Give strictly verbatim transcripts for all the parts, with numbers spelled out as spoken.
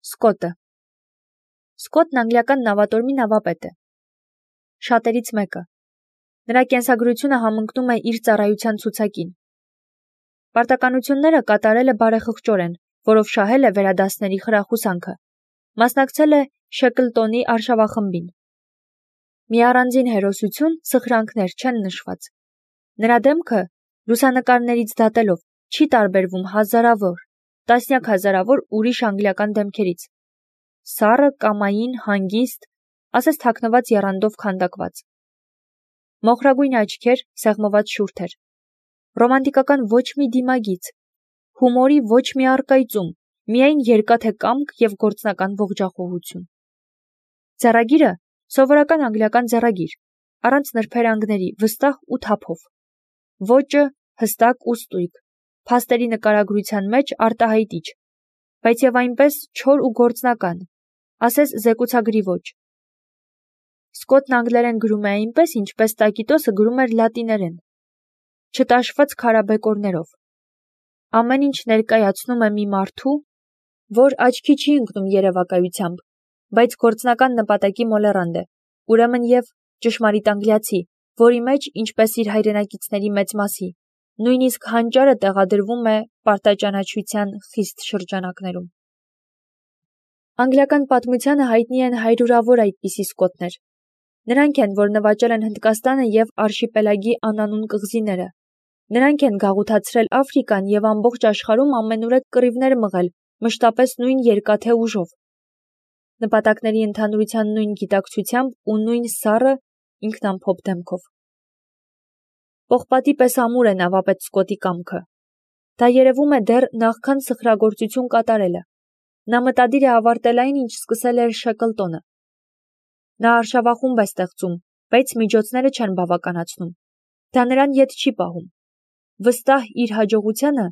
Սկոտը Սկոտն անգլիական նավատորմի նավապետ է։ Շատերից մեկը։ Նրա կենսագրությունը համընկնում է իր ծառայության ցուցակին։ Պարտականությունները կատարել է բարեխղճորեն, որով շահել է վերադասների խրախուսանքը։ Մասնակցել է Շեքլտոնի արշավախմբին։ Մի առանձին հերոսություն սխրանքներ չեն նշված։ Նրա դեմքը, լուսանկարներից դատելով, չի տարբերվում հազարավոր, տասնյակ հազարավոր ուրիշ անգլիական դեմքերից։ Սառը, կամային, հանգիստ, ասես թաքնված եռանդով քանդակված։ Մոխրագույն աչքեր, սեղմված շուրթեր։ Ռոմանտիկական ոչ մի դիմագիծ, հումորի ոչ մի առկայծում, միայն երկաթե կամք և գործնական ողջախոհություն։ Ձեռագիրը սովորական անգլիական ձեռագիր, առանց նրբերանգների, վստահ ու թափով։ Ոճը հստակ ու ստույգ, փաստերի նկարագրության մեջ արտահայտիչ, բայց և այնպես չոր ու գործնական, ասես զեկուցագրի ոճ։ Սկոտն անգլերեն գրում է այնպես, ինչպես Տակիտոսը գրում էր լատիներեն, չտաշված քարաբեկորներով։ Ամեն ինչ ներկայացնում է մի մարդու, որ աչքի չի ընկնում երևակայությամբ, բայց գործնական նպատակի մոլեռանդ է, ուրեմն և ճշմարիտ անգլիացի, որի մեջ, ինչպես իր հայրենակիցների մեծ մասի, նույնիսկ հանճարը տեղադրվում է պարտաճանաչության խիստ շրջանակներում։ Անգլիական պատմությանը հայտնի են հարյուրավոր այդպիսի սկոտներ։ Նրանք են, որ նվաճել են Հնդկաստանը և արշիպելագի անանուն կղզիները։ Նրանք են գաղութացրել Աֆրիկան և ամբողջ աշխարհում ամենուրեք կռիվներ մղել, մշտապես նույն երկաթե ուժով։ Նպատակների ընդհանրության նույն գիտակցությամբ ու նույն սառը, ինքնամփոփ դեմքով։ Պողպատի պես ամուր է նավապետ Սկոտի կամքը։ Դա երևում է դեռ նախքան սխրագործություն կատարելը։ Նա մտադիր է ավարտել այն, ինչ սկսել էր Շեքլտոնը։ Նա արշավախումբ է ստեղծում, բայց միջոցները չեն բավականացնում։ Դա նրան ետ չի պահում։ Վստահ իր հաջողությանը,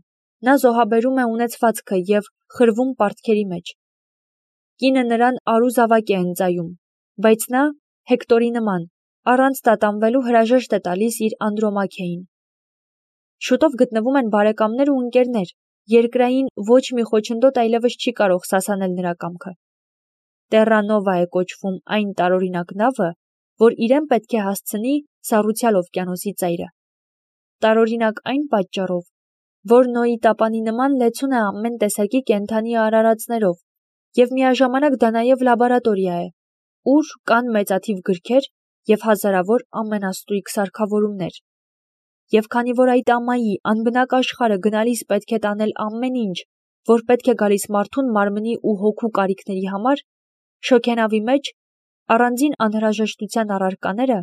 նա զոհաբերում է ունեցվածքը և խրվում պարտքերի մեջ։ Կինը նրան արու զավակ է ընծայում, բայց նա, Հեկտորի նման, առանց տատանվելու հրաժեշտ է տալիս իր Անդրոմաքեին։ Շուտով գտնվում են բարեկամներ ու ընկերներ, երկրային ոչ մի խոչընդոտ այլևս չի կարող սասանել նրա կամքը։ Տեռրանովա է կոչվում այն տարօրինակ նավը, որ իրեն պետք է հասցնի սառուցյալ օվկիանոսի ծայրը։ Տարօրինակ այն պատճառով, որ Նոյի տապանի նման լեցուն է ամեն տեսակի կենդանի արարածներով, և միաժամանակ դա նաև լաբորատորիա է, ուր կան մեծաթիվ գրքեր և հազարավոր ամենաստույգ սարքավորումներ։ Եվ քանի որ այդ ամայի անբնակ աշխարհը գնալիս պետք է տանել ամեն ինչ, որ պետք է գալիս մարդուն մարմնի ու հոգու կարիքների համար, շոգենավի մեջ առանձին անհրաժեշտության առարկաները,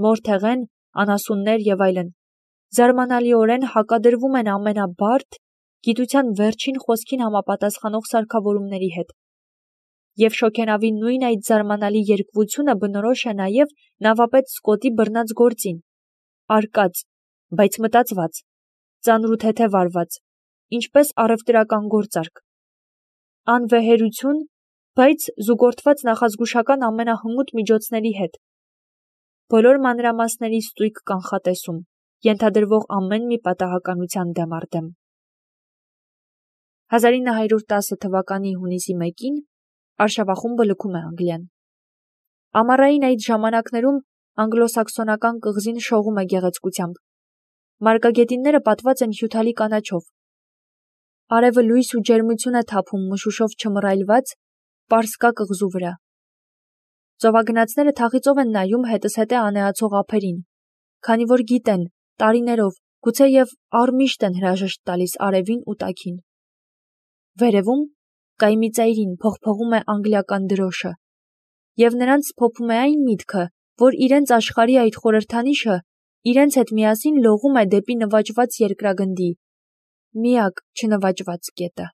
մորթեղեն, անասուններ և այլն, զարմանալիորեն հակադրվում են ամենաբարդ, գիտության վերջին խոսքին համապատասխանող սարքավորումների հետ։ Եվ շոգենավի նույն այդ զարմանալի երկվությունը բնորոշ է նաև նավապետ Սկոտի բռնած գործին, արկած, բայց մտածված, ծանր ու թեթև արված, ինչպես առևտրական գործարք։ Անվեհերություն, բայց զուգորդված նախազգուշական ամենահմուտ միջոցների հետ։ Բոլոր մանրամասների ստույգ կանխատեսում, ենթադրվող ամեն մի պատահականության դեմ առ դեմ։ հազար ինը հարյուր տասը թվականի հունիսի մեկին արշավախումբը լքում է Անգլիան։ Ամառային այդ ժամանակներում անգլոսաքսոնական կղզին շողում է գեղեցկությամբ։ Մարգագետինները պատված են հյութալի կանաչով։ Արևը լույս ու ջերմություն է թափում մշուշով չմռայլված Պարսկա կղզու վրա։ Ծովագնացները թախիծով են նայում հետզհետե անեացող ափերին, քանի որ գիտեն, տարիներով, գուցե և առմիշտ են հրաժեշտ տալիս արևին ու տաքին։ Վերևում, կայմի ծայրին փողփողում է անգլիական դրոշը, և նրանց սփոփում է այն միտքը, որ իրենց աշխարհի այդ խորհրդանիշը իրենց հետ միասին լողում է դեպի նվաճված երկրագնդի, միակ չնվաճված կետը։